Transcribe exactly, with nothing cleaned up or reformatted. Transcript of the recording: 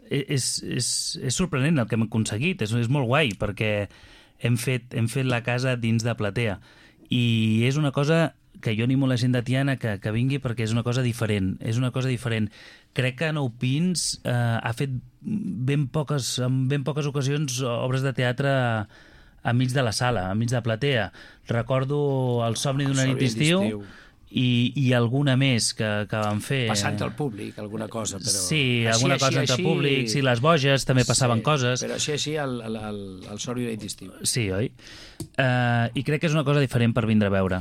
és, és, és sorprenent el que hem aconseguit, és, és molt guai, perquè hem fet, hem fet la casa dins de platea. I és una cosa que jo animo la gent de Tiana que, que vingui perquè és una cosa diferent, és una cosa diferent. Crec que Nou Pins eh, ha fet ben poques, en ben poques ocasions obres de teatre a mig de la sala, a mig de platea. Recordo El somni d'una nit d'estiu i, i alguna més que, que van fer. Passant al públic, alguna cosa, però... Sí, així, alguna així, cosa entre així... públic, sí, les boges també passaven sí, coses. Però així, així, el, el, el, el somni d'una nit d'estiu. Sí, oi? Uh, I crec que és una cosa diferent per vindre a veure.